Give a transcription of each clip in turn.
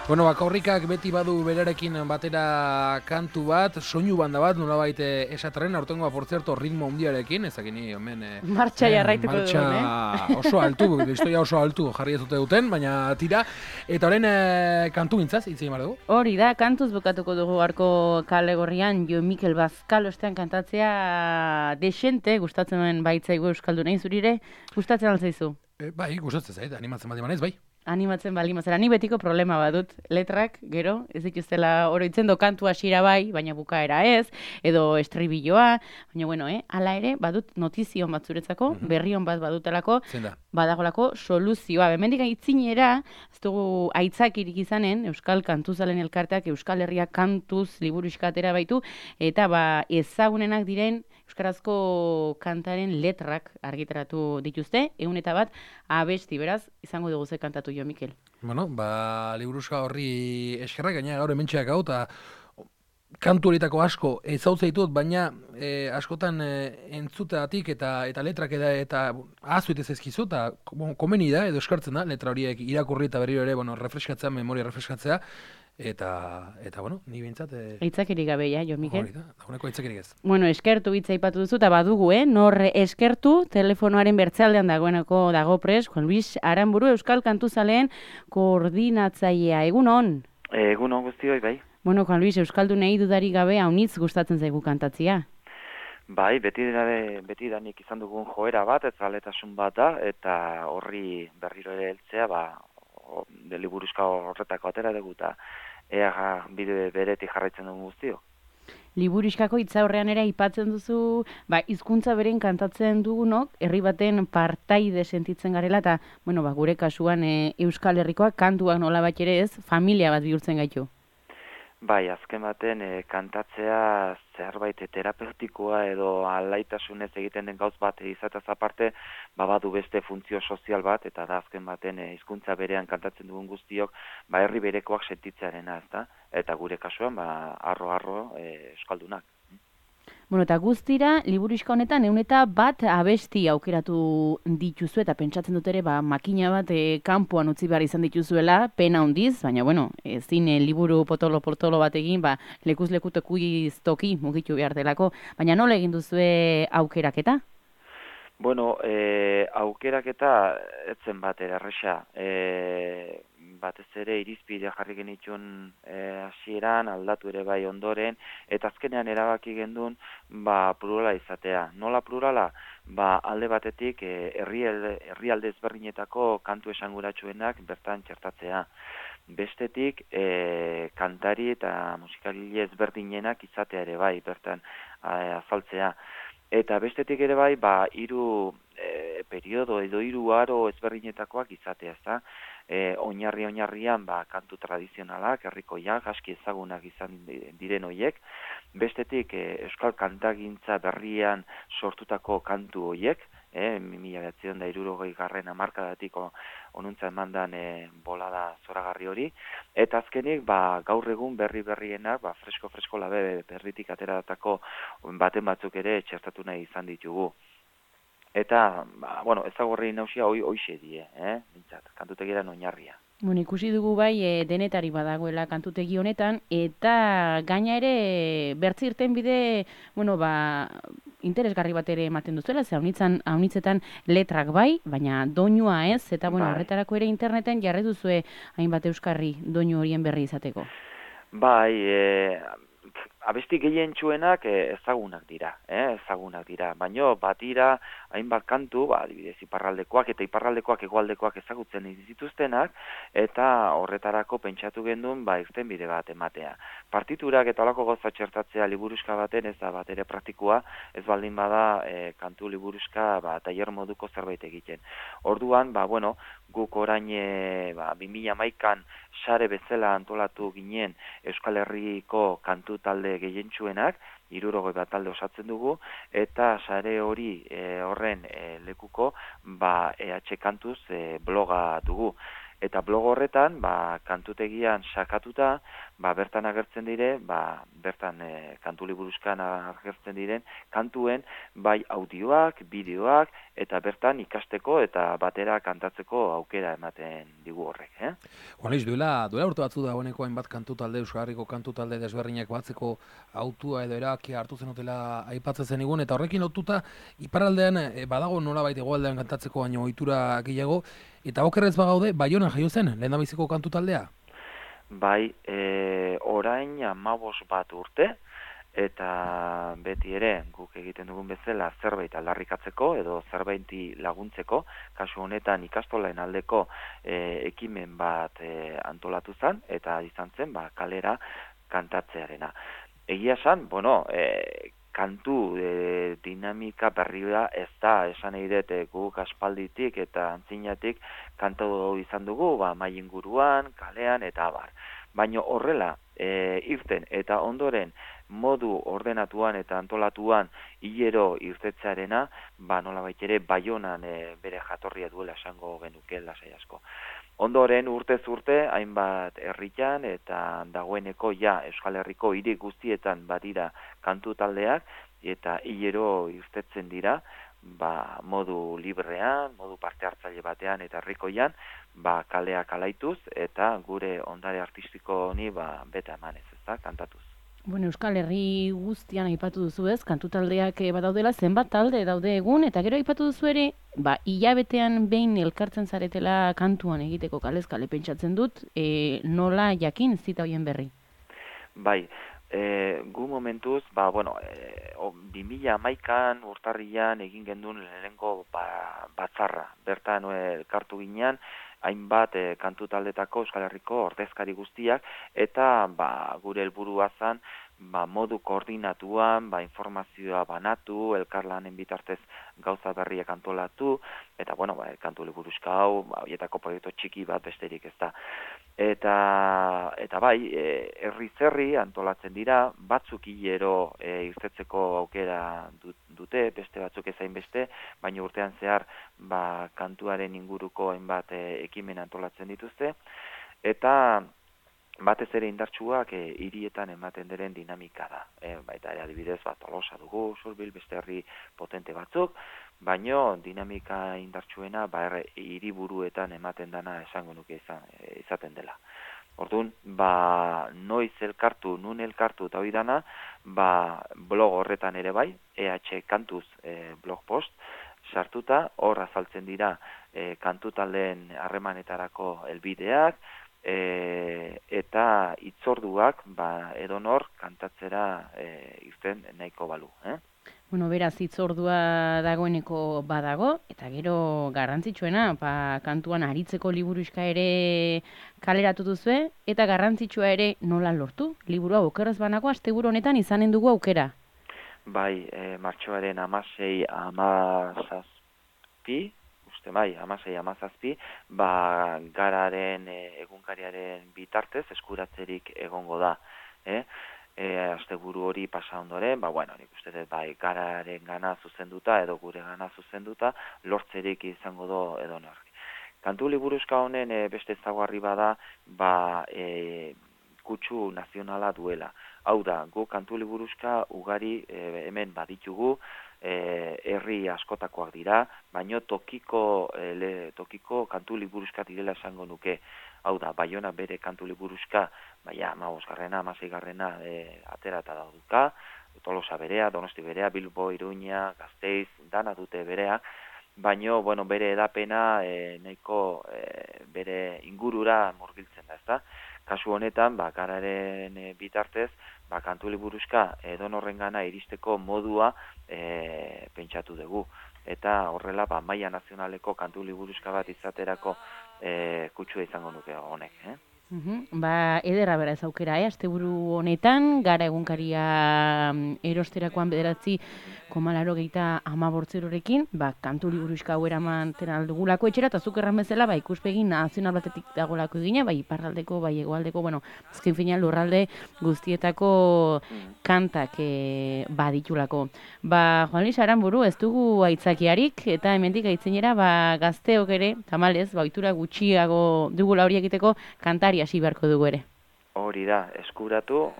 Bueno, Korrikak beti badu berarekin batera kantu bat, soinu banda bat, nolabait esataren, aurtengoa, por cierto, ritmo handiarekin, ezakini, hemen... Martxa jarraituko martxa duen, oso altu, historia oso altu jarri ez dute duten, baina tira. Eta orain kantu gintzaz, hitz egin dugu. Hori da, kantuz bukatuko dugu harko kale gorrian, Jo Mikel Bazkal ostean kantatzea desente, gustatzen duen baitzaigu euskaldunei zurire, gustatzen altzaizu? Bai, gustatzen zait, animatzen bat emanez, bai. Animatzen balimazera, ni betiko problema badut, letrak, gero, ez dituztela oroitzen do kantu hasiera bai, baina bukaera ez, edo estribilloa, baina bueno, hala ere, badut notizion bat zuretzako, berrion bat badutelako, badagolako soluzioa. Hemendik aitzinera, ez dugu aitzakirik izanen, Euskal Kantuzalen elkarteak Euskal Herria kantuz liburuxka atera baitu, eta ezagunenak diren euskarazko kantaren letrak argitaratu dituzte, 101 abesti, beraz, izango dugu ze kantatu Jo Mikel. Bueno, liburuxka horri eskerrak, gaina gaur hementxeak hau, eta kantu horietako asko ezautza ditut, baina askotan entzuteatik eta letrak eta azuit ez ezkizu, eta komeni da, edo eskartzen da, letra horiek irakurri eta berriro ere, refreskatzea, memoria refreskatzea, eta bueno, ni bintzat... Aitzakirik gabe, Jo Mikel? Hori da, dagoeneko aitzakirik ez. Bueno, eskertu hitza aipatu duzu, eta badugu, nor eskertu, telefonoaren bertzealdean dagoeneko dago pres, Juan Luis Aranburu, Euskal Kantuzaleen koordinatzailea. Egunon? Egunon guztioi, bai. Bueno, Juan Luis, euskaldunei dudarik gabe haunitz gustatzen zaigu kantatzia. Bai, beti danik izan dugun joera bat, ez zaletasun bat da, eta horri berriro ere heltzea, liburuxka horretako atera dugu, eta ea bide beretik jarraitzen dugun guztio. Liburuxkako hitza horrean ere aipatzen duzu, hizkuntza beren kantatzen dugunok, herri baten partaide sentitzen garela, eta, gure kasuan Euskal Herrikoak kantuak nolabait ere ez, familia bat bihurtzen gaitu. Bai, azken baten kantatzea zerbait terapeutikoa edo alaitasunez egiten den gauz bat izatez aparte, badu beste funtzio sozial bat, eta da azken baten hizkuntza berean kantatzen dugun guztiok, herri berekoak sentitzearena, ezta? Eta gure kasuan, arro euskaldunak. Bueno, eta guztira, liburuxka honetan 101 abesti aukeratu dituzu, eta pentsatzen dut ere, makina bat kanpoan utzi behar izan dituzuela, pena handiz, baina, ezin liburu potolo bat egin, lekuz lekutokuiz toki mugitu behar delako, baina nola egin duzue aukeraketa? Bueno, aukeraketa etzen bat erresa, batez ere irizpidea jarri genituen hasieran, aldatu ere bai ondoren, eta azkenean erabaki gendun plurala izatea. Nola plurala? Alde batetik herrialde ezberdinetako kantu esanguratsuenak bertan txertatzea. Bestetik kantari eta musikagile ezberdinenak izatea ere bai bertan azaltzea. Eta bestetik ere bai, 3 periodo edo 3 aro ezberdinetakoak izatea, ezta? Oinarrian kantu tradizionalak, herrikoiak, aski ezagunak izan diren hoiek. Bestetik euskal kantagintza berrian sortutako kantu hoiek, 1960 hamarkadatik onuntza emandan bolada zoragarri hori. Eta azkenik, gaur egun berrienak, fresko labe berritik ateratako baten batzuk ere txertatu nahi izan ditugu. Eta, ezagorri nausia hoixe die, bintzat, kantutegiaren oinarria. Ikusi dugu bai denetari badagoela kantutegi honetan, eta gaina ere bertzi irten bide, interesgarri bat ere ematen duzuela, ze haunitzetan letrak bai, baina doinua ez, eta horretarako ere interneten jarri duzue hainbat euskarri doinu horien berri izateko. Bai, abesti gehientsuenak ezagunak dira, baina batira hainbat kantu, adibidez iparraldekoak eta iparraldekoak hegoaldekoak ezagutzen dituztenak, eta horretarako pentsatu gendun irtenbide bat ematea. Partiturak eta holako gauza txertatzea liburuxka baten ez da bat ere praktikoa, ez baldin bada kantu liburuxka tailer moduko zerbait egiten. Orduan, guk orain 2011an sare bezala antolatu ginen Euskal Herriko kantu talde gehientsuenak, 60 talde osatzen dugu, eta sare hori horren lekuko EH Kantuz bloga dugu. Eta blog horretan, kantutegian sakatuta, bertan agertzen dire, bertan kantu liburuzkan agertzen diren, kantuen, bai audioak, bideoak, eta bertan ikasteko eta batera kantatzeko aukera ematen digu horrek. Juanis, duela urte batzu da honeko hainbat kantu talde, Euskal Herriko kantu talde desberdinak batzeko autua edo erabakia hartu zenutela aipatzen zenigun, eta horrekin lotuta iparraldean badago nolabait hegoaldean kantatzeko baino ohitura gehiago, eta okerrez bagaude, Baionan jaio zen, lehendabiziko kantu taldea? Bai, orain 15 bat urte, eta beti ere guk egiten dugun bezala zerbait aldarrikatzeko edo zerbaiti laguntzeko, kasu honetan ikastolaen aldeko ekimen bat antolatu zen, eta izan zen kalera kantatzearena. Egia esan, kantu dinamika berria ez da, esan nahi dut guk aspalditik eta antzinatik kantu izan dugu, mai inguruan, kalean eta abar. Baina horrela, irten eta ondoren modu ordenatuan eta antolatuan hilero irtetzearena, nolabait ere Baionan bere jatorria duela esango genuke lasai asko. Ondoren urtez urte, hainbat herritan eta dagoeneko Euskal Herriko hiri guztietan badira kantu taldeak eta hilero irtetzen dira, modu librean, modu parte hartzaile batean eta herrikoian, kaleak alaituz eta gure ondare artistiko honi beta emanez, kantatuz. Bueno, Euskal Herri guztian aipatu duzu ez, kantu taldeak badaudela, zenbat talde daude egun, eta gero aipatu duzu ere, hilabetean behin elkartzen zaretela kantuan egiteko kalez kale pentsatzen dut, nola jakin zita hoien berri? Bai, gu momentuz, 2011an urtarrian egin gendun lehenengo batzarra. Bertan elkartu ginean, hainbat kantu taldetako Euskal Herriko ordezkari guztiak, eta gure helburua zen modu koordinatuan, informazioa banatu, elkarlanen bitartez gauza berriak antolatu, eta kantu liburuxka hau, horietako proiektu txiki bat besterik ez da. Eta herri antolatzen dira, batzuk hilero irtetzeko aukera dute, beste batzuk ezain beste, baina urtean zehar kantuaren inguruko hainbat ekimen antolatzen dituzte, eta batez ere indartsuak hirietan ematen diren dinamika da. Baita ere adibidez Tolosa dugu, Zurbil, beste herri potente batzuk, baino dinamika indartsuena hiriburuetan ematen dana esango nuke izaten dela. Orduan, noiz elkartu, nun elkartu eta hori dana, blog horretan ere bai, EH Kantuz blog post, sartuta, hor azaltzen dira kantu taldeen harremanetarako helbideak, eta hitzorduak edonor kantatzera irten nahiko balu. Bueno, beraz, hitzordua dagoeneko badago, eta gero garrantzitsuena, kantuan aritzeko liburuxka ere kaleratu duzue, eta garrantzitsua ere nola lortu? Liburua okerrez banago, asteburu honetan izanen dugu aukera. Bai, martxoaren 16-17, 16-17, gararen egunkariaren bitartez eskuratzerik egongo da. Asteburu hori pasa ondoren, nik uste dut gararen gana zuzenduta edo gure gana zuzenduta lortzerik izango do edo norri. Kantu liburuxka honen beste ezaugarri bada, kutsu nazionala duela. Hau da, gu kantu liburuxka ugari hemen baditugu, herri askotakoak dira, baino tokiko kantu liburuxka direla esango nuke. Hau da, Baiona bere kantu liburuxka, 15garrena, 16garrena atera eta dauduka, Tolosa berea, Donosti berea, Bilbo, Iruña, Gasteiz, dana dute berea, baino, bere edapena nahiko bere ingurura murgiltzen da, ezta? Kasu honetan, gararen bitartez, kantu liburuxka edonorrengana iristeko modua pentsatu dugu. Eta horrela, maila nazionaleko kantu liburuxka bat izaterako kutsua izango nuke honek. Ederra bera ez aukera, asteburu honetan, gara egunkaria erosterakoan 9,85 kantu liburuxka hau eraman aldugulako etxera, eta zuk erran bezala, ikuspegi nazional batetik dagolako egina, iparraldeko, hegoaldeko, azken finean lurralde guztietako kantak baditulako. Juan Luis Aranburu, ez dugu aitzakiarik, eta hemendik aitzinera, gazteok ere, tamalez, ohitura gutxiago dugula hori egiteko, kantari hasi beharko dugu ere. Hori da, eskuratu,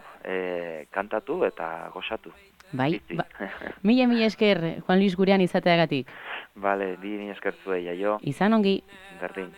kantatu eta gozatu. Bai, mila esker, Juan Luis gurean izateagatik. Bale, bi eskertzuei, jaio. Izan ongi. Berdin.